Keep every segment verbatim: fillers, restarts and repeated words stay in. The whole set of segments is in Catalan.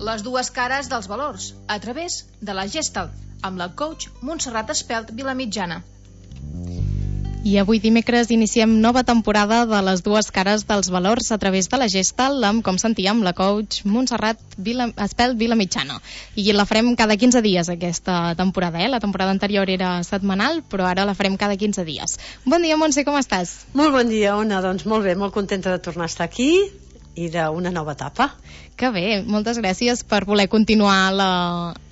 Les dues cares dels valors, a través de la Gestalt, amb la coach Montserrat Espelt Vilamitjana. I avui dimecres iniciem nova temporada de les dues cares dels valors a través de la Gestalt, amb, com sentíem, la coach Montserrat Vila, Espelt Vilamitjana. I la farem cada quinze dies aquesta temporada, eh? La temporada anterior era setmanal, però ara la farem cada quinze dies. Bon dia, Montse, com estàs? Molt bon dia, Ona. Doncs molt bé, molt contenta de tornar a estar aquí i d'una nova etapa. Que bé, moltes gràcies per voler continuar la,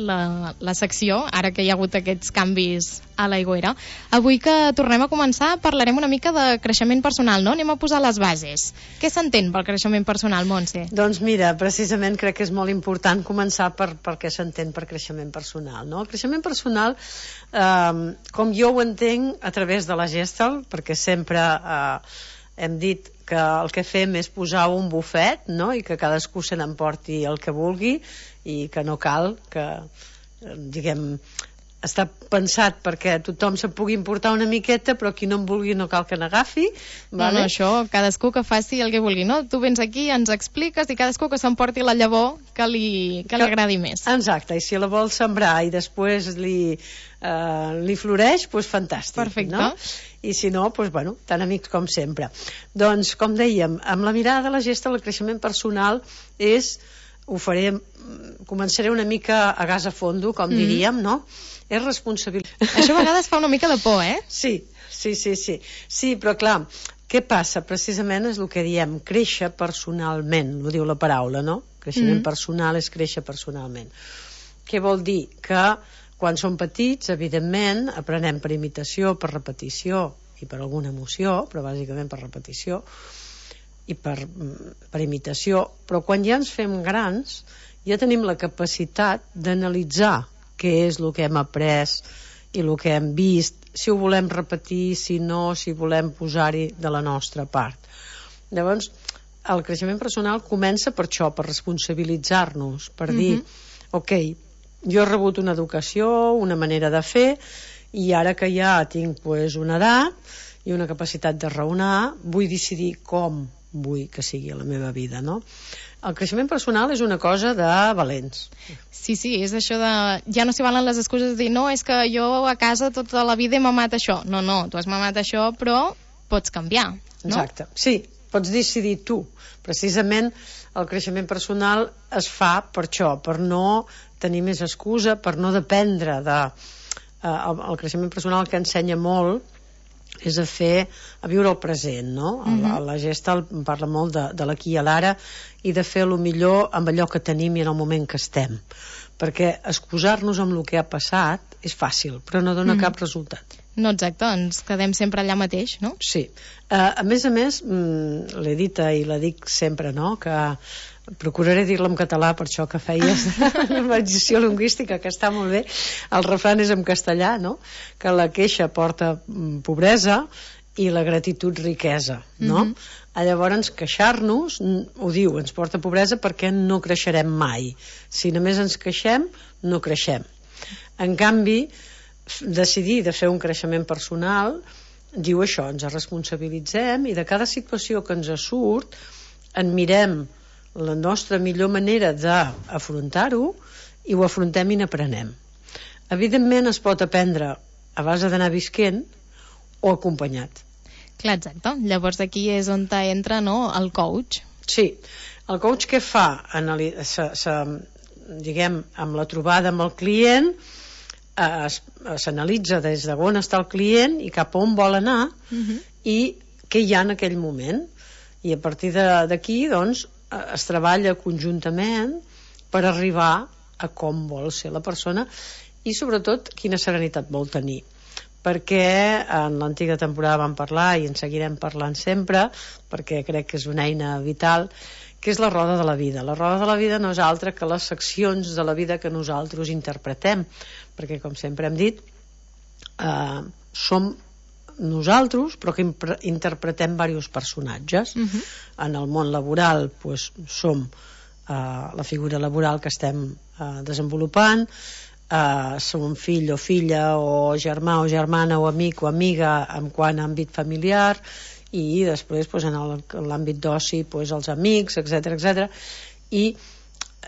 la, la secció, ara que hi ha hagut aquests canvis a l'Aigüera. Avui que tornem a començar parlarem una mica de creixement personal, no? Anem a posar les bases. Què s'entén pel creixement personal, Montse? Doncs mira, precisament crec que és molt important començar per, per què s'entén per creixement personal, no? El creixement personal, eh, com jo ho entenc a través de la Gestalt, perquè sempre eh, hem dit que el que fem és posar un bufet, no? I que cadascú se n'emporti el que vulgui i que no cal que, diguem, està pensat perquè tothom se pugui importar una miqueta, però qui no en vulgui no cal que n'agafi. Vale? No, no, això, cadascú que faci el que vulgui, no? Tu vens aquí, ens expliques i cadascú que s'emporti la llavor que li, que li agradi més. Exacte, i si la vol sembrar i després li, eh, li floreix, doncs fantàstic. Perfecte. No? I si no, doncs, bueno, tan amics com sempre. Doncs, com dèiem, amb la mirada de la Gestalt, el creixement personal és, ho faré, començaré una mica a gas a fondo, com mm. diríem, no? És responsabilitat. Això a vegades fa una mica de por, eh? Sí, sí, sí, sí. Sí, però clar, què passa? Precisament és el que diem, créixer personalment, ho diu la paraula, no? Creixement mm. personal és créixer personalment. Què vol dir? Que quan som petits, evidentment, aprenem per imitació, per repetició i per alguna emoció, però bàsicament per repetició i per, per imitació, però quan ja ens fem grans ja tenim la capacitat d'analitzar què és el que hem après i el que hem vist, si ho volem repetir, si no, si volem posar-hi de la nostra part. Llavors, el creixement personal comença per això, per responsabilitzar-nos, per dir, mm-hmm. ok, jo he rebut una educació, una manera de fer, i ara que ja tinc pues, una edat i una capacitat de raonar, vull decidir com vull que sigui la meva vida, no? El creixement personal és una cosa de valents. Sí, sí, és això de... Ja no s'hi valen les excuses de dir, no, és que jo a casa tota la vida he mamat això. No, no, tu has mamat això, però pots canviar, no? Exacte, sí, pots decidir tu. Precisament el creixement personal es fa per això, per no tenir més excusa, per no dependre de... Eh, el, el creixement personal que ensenya molt és a fer, a viure el present, no? Mm-hmm. La, la Gestalt parla molt de, de l'aquí i l'ara i de fer el millor amb allò que tenim i en el moment que estem, perquè excusar-nos amb el que ha passat és fàcil, però no dona mm. cap resultat. No, exacte, ens quedem sempre allà mateix, no? Sí. Uh, a més a més, mm, l'he dit i la dic sempre, no?, que procuraré dir-la en català, per això que feies la mediació lingüística, que està molt bé. El refrany és en castellà, no?, que la queixa porta pobresa i la gratitud riquesa, no? Mm-hmm. Llavors, queixar-nos, ho diu, ens porta pobresa perquè no creixerem mai. Si només ens queixem, no creixem. En canvi, decidir de fer un creixement personal diu això, ens responsabilitzem i de cada situació que ens surt en mirem la nostra millor manera d'afrontar-ho i ho afrontem i n'aprenem. Evidentment es pot aprendre a base d'anar visquent o acompanyat. Clar, exacte. Llavors aquí és on entra, no?, el coach. Sí. El coach què fa? Anali- se, se, diguem, amb la trobada amb el client eh, s'analitza des d'on està el client i cap a on vol anar uh-huh. i què hi ha en aquell moment. I a partir d'aquí, doncs, es treballa conjuntament per arribar a com vol ser la persona i sobretot quina serenitat vol tenir, perquè en l'antiga temporada vam parlar i en seguirem parlant sempre perquè crec que és una eina vital, que és la roda de la vida. La roda de la vida no és altra que les seccions de la vida que nosaltres interpretem, perquè com sempre hem dit eh, som nosaltres, però que interpretem diversos personatges. Uh-huh. En el món laboral pues, som uh, la figura laboral que estem uh, desenvolupant, uh, som fill o filla o germà o germana o amic o amiga en quant a àmbit familiar, i després pues, en l'àmbit d'oci pues, els amics, etcètera etcètera. I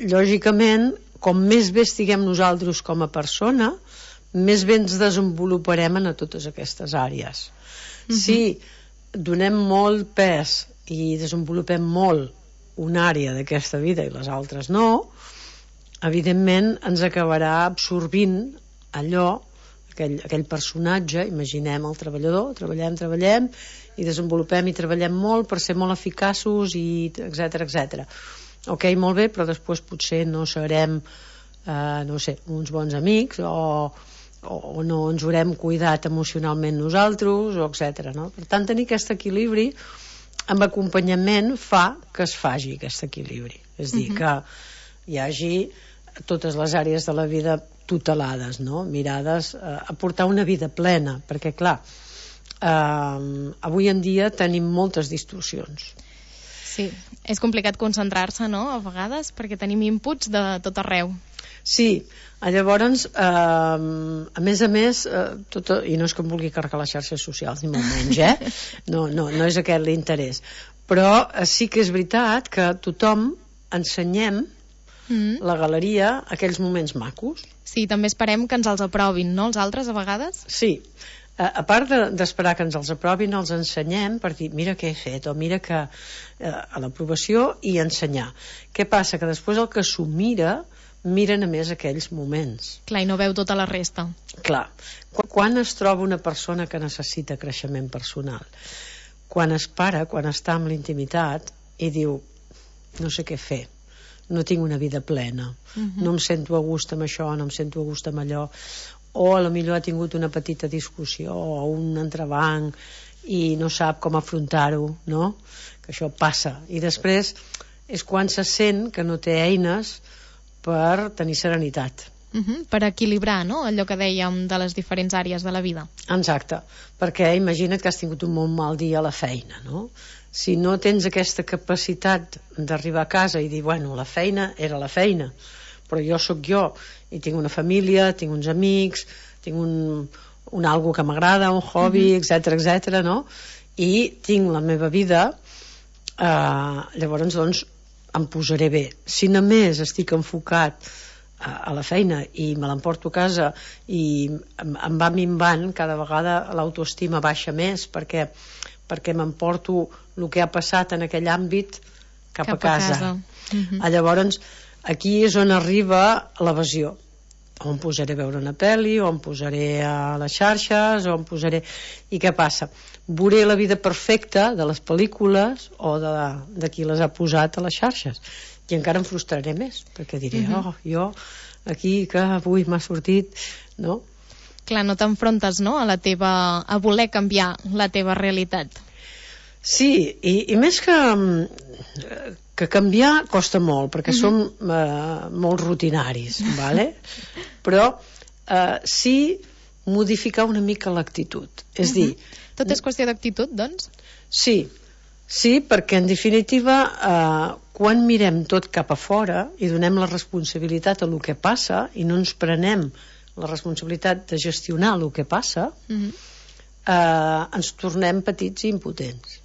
lògicament, com més bé estiguem nosaltres com a persona, més bé ens desenvoluparem en a totes aquestes àrees. Uh-huh. Si donem molt pes i desenvolupem molt una àrea d'aquesta vida i les altres no, evidentment ens acabarà absorbint allò, aquell, aquell personatge. Imaginem el treballador, treballem, treballem i desenvolupem i treballem molt per ser molt eficaços i etcètera, etcètera. Ok, molt bé, però després potser no serem eh, no sé, uns bons amics o, o no ens haurem cuidat emocionalment nosaltres, o etcètera. No? Per tant, tenir aquest equilibri amb acompanyament fa que es faci aquest equilibri. És dir, uh-huh. que hi hagi totes les àrees de la vida tutelades, no? Mirades eh, a portar una vida plena, perquè clar, eh, avui en dia tenim moltes distorsions. Sí, és complicat concentrar-se, no?, a vegades, perquè tenim inputs de tot arreu. Sí, llavors, eh, a més a més, eh, tot, i no és que em vulgui carregar les xarxes socials, ni molt menys, eh? No, no, no és aquest l'interès. Però eh, sí que és veritat que tothom ensenyem mm. la galeria aquells moments macos. Sí, també esperem que ens els aprovin, no?, els altres, a vegades? Sí, a, a part de, d'esperar que ens els aprovin, els ensenyem per dir, mira què he fet, o mira que eh, a l'aprovació, i ensenyar. Què passa? Que després el que s'ho mira miren a més aquells moments. Clar, i no veu tota la resta. Clar. Quan es troba una persona que necessita creixement personal? Quan es para, quan està amb l'intimitat i diu, no sé què fer, no tinc una vida plena, uh-huh. no em sento a gust amb això, no em sento a gust amb allò, o a lo millor ha tingut una petita discussió o un entrebanc i no sap com afrontar-ho, no? Que això passa. I després és quan se sent que no té eines per tenir serenitat. Uh-huh. Per equilibrar, no?, allò que dèiem de les diferents àrees de la vida. Exacte, perquè imagina't que has tingut un molt mal dia a la feina, no? Si no tens aquesta capacitat d'arribar a casa i dir, bueno, la feina era la feina, però jo sóc jo, i tinc una família, tinc uns amics, tinc un, un algo que m'agrada, un hobby, uh-huh. etcètera, etcètera, no? I tinc la meva vida, eh, llavors, doncs, em posaré bé. Si només estic enfocat a, a la feina i me l'emporto a casa i em, em va minvant, cada vegada l'autoestima baixa més perquè, perquè m'emporto el que ha passat en aquell àmbit cap, cap a casa. A casa. Uh-huh. Llavors, aquí és on arriba l'evasió. O em posaré a veure una pel·li, o em posaré a les xarxes, o em posaré... I què passa? Veuré la vida perfecta de les pel·lícules o de, de qui les ha posat a les xarxes, i encara em frustraré més, perquè diré, uh-huh. oh, jo aquí que avui m'ha sortit, no? Clar, no t'enfrontes, no?, a la teva, a voler canviar la teva realitat. Sí, i, i més que que canviar costa molt, perquè uh-huh. som eh, molt rutinaris, vale? Però eh, sí modificar una mica l'actitud, és uh-huh. dir... Tot és qüestió d'actitud, doncs? Sí, sí, perquè en definitiva eh, quan mirem tot cap a fora i donem la responsabilitat a lo que passa i no ens prenem la responsabilitat de gestionar el que passa, uh-huh. eh, ens tornem petits i impotents.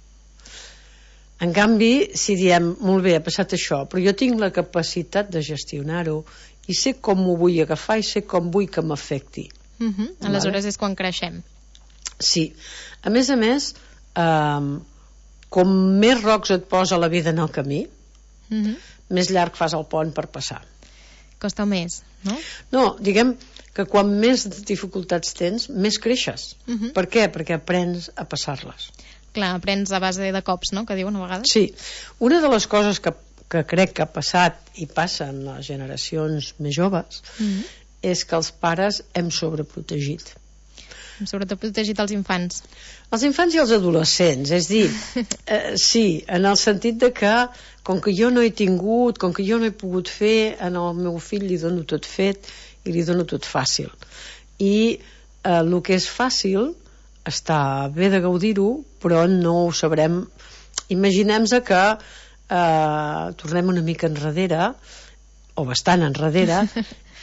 En canvi, si diem, molt bé, ha passat això, però jo tinc la capacitat de gestionar-ho i sé com m'ho vull agafar i sé com vull que m'afecti. Uh-huh. Aleshores vale? És quan creixem. Sí. A més a més, eh, com més rocs et posa la vida en el camí, uh-huh. més llarg fas el pont per passar. Costa més, no? No, diguem que quan més dificultats tens, més creixes. Uh-huh. Per què? Perquè aprens a passar-les. Clar, aprens a base de cops, no?, que diuen a vegades. Sí. Una de les coses que, que crec que ha passat i passa en les generacions més joves mm-hmm. és que els pares hem sobreprotegit. Hem sobreprotegit els infants. Els infants i els adolescents, és dir, eh, sí, en el sentit de que com que jo no he tingut, com que jo no he pogut fer, en el meu fill li dono tot fet i li dono tot fàcil. I eh, el que és fàcil està bé de gaudir-ho, però no ho sabrem. Imaginem-se que eh, tornem una mica enrere, o bastant enrere,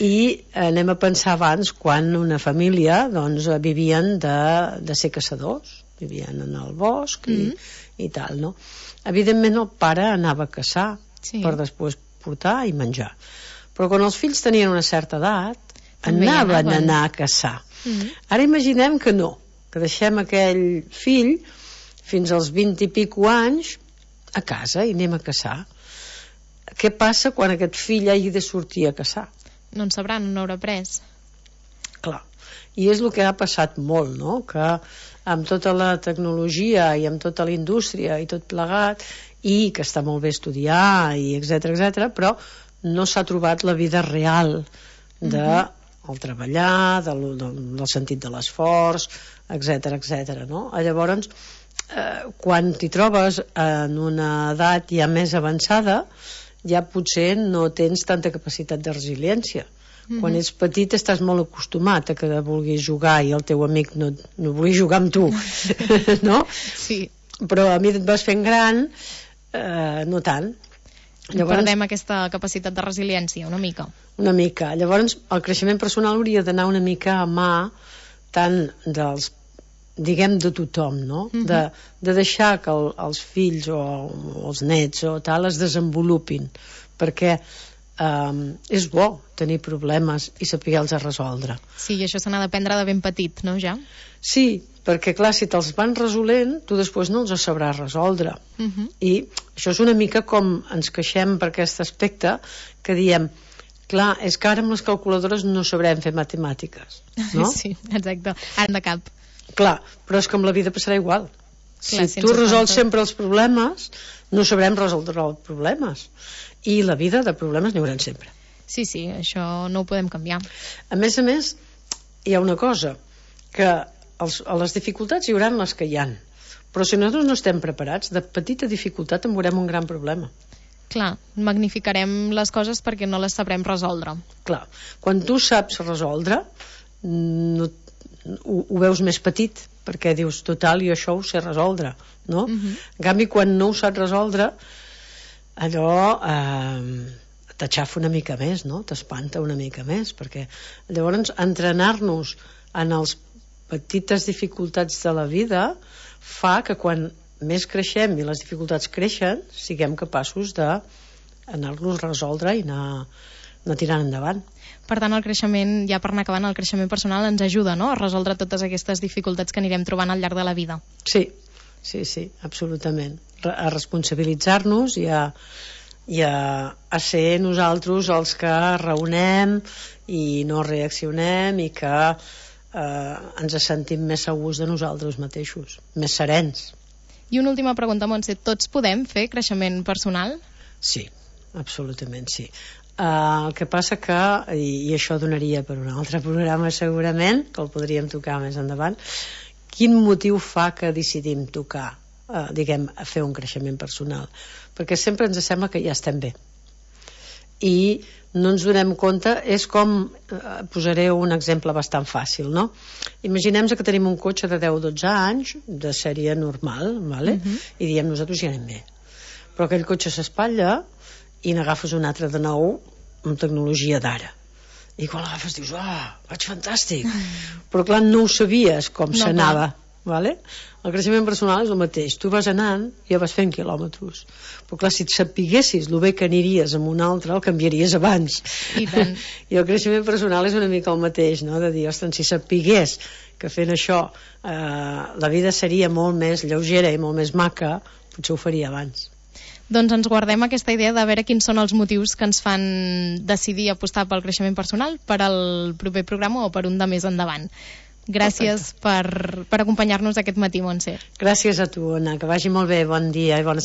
i anem a pensar abans quan una família doncs, vivien de, de ser caçadors, vivien en el bosc i, mm-hmm. i tal, no? Evidentment el pare anava a caçar sí. per després portar i menjar. Però quan els fills tenien una certa edat, També anaven anaven. a anar a caçar. Mhm. Ara imaginem que no, que deixem aquell fill fins als vint i pico anys a casa i anem a caçar. Què passa quan aquest fill hagi de sortir a caçar? No en sabran, no haurà pres. Clar, i és el que ha passat molt, no? Que amb tota la tecnologia i amb tota la indústria i tot plegat, i que està molt bé estudiar i etcètera etcètera, però no s'ha trobat la vida real de Mhm. el treballar, del, del, del sentit de l'esforç, etcètera etcètera, no? Llavors, eh, quan t'hi trobes en una edat ja més avançada, ja potser no tens tanta capacitat de resiliència. Mhm. Quan ets petit estàs molt acostumat a que vulguis jugar i el teu amic no, no vulgui jugar amb tu, no? Sí. Però a mi et vas fent gran, eh, no tant. Llavors... Perdem aquesta capacitat de resiliència, una mica. Una mica. Llavors, el creixement personal hauria d'anar una mica a mà tant dels, diguem, de tothom, no? Mhm. de, de deixar que el, els fills o, o els nets o tal es desenvolupin, perquè eh, és bo tenir problemes i saber-los resoldre. Sí, i això se n'ha d'aprendre de ben petit, no, ja? Sí, perquè clar, si te'ls van resolent, tu després no els sabràs resoldre. Mhm. I això és una mica com ens queixem per aquest aspecte, que diem, clar, és que ara amb les calculadores no sabrem fer matemàtiques, no? Sí, exacte, ara de cap. Clar, però és que amb la vida passarà igual. Clar, Si tu sense resols tanto. sempre els problemes, no sabrem resoldre els problemes. I la vida de problemes n'hi haurà sempre. Sí, sí, això no ho podem canviar. A més a més, hi ha una cosa, que els, a les dificultats hi haurà les que hi han, però si nosaltres no estem preparats, de petita dificultat en veurem un gran problema. Clar, magnificarem les coses perquè no les sabrem resoldre. Clar, quan tu saps resoldre, no, ho, ho veus més petit, perquè dius, total, jo això ho sé resoldre, no? Mhm. En canvi, quan no ho saps resoldre, allò eh, t'aixafa una mica més, no? T'espanta una mica més, perquè llavors entrenar-nos en les petites dificultats de la vida fa que quan més creixem i les dificultats creixen, siguem capaços d'anar-los a resoldre i anar, anar tirant endavant. Per tant, el creixement, ja per anar acabant, el creixement personal ens ajuda, no?, a resoldre totes aquestes dificultats que anirem trobant al llarg de la vida. Sí, sí, sí, absolutament. A responsabilitzar-nos i a, i a, a ser nosaltres els que raonem i no reaccionem i que eh, ens sentim més segurs de nosaltres mateixos, més serens. I una última pregunta, Montse, tots podem fer creixement personal? Sí, absolutament sí. Uh, el que passa que, i, i això donaria per un altre programa segurament, que el podríem tocar més endavant, quin motiu fa que decidim tocar, uh, diguem, a fer un creixement personal? Perquè sempre ens sembla que ja estem bé. I no ens donem compte, és com, uh, posaré un exemple bastant fàcil, no? Imaginem que tenim un cotxe de deu o dotze anys, de sèrie normal, vale? Mhm. I diem, nosaltres ja anem bé. Però aquell cotxe s'espatlla i n'agafes un altre de nou amb tecnologia d'ara. I quan l'agafes dius, ah, vaig fantàstic. Però clar, no ho sabies com No, s'anava. Vale? El creixement personal és el mateix. Tu vas anant i ja vas fent quilòmetres. Però clar, si et sapiguessis el bé que aniries amb un altre, el canviaries abans. I tant. I el creixement personal és una mica el mateix, no? De dir, ostres, si sapigués que fent això eh, la vida seria molt més lleugera i molt més maca, potser ho faria abans. Doncs ens guardem aquesta idea de veure quins són els motius que ens fan decidir apostar pel creixement personal per al proper programa o per un de més endavant. Gràcies per, per acompanyar-nos aquest matí, Montse. Gràcies a tu, Anna, que vagi molt bé, bon dia i bona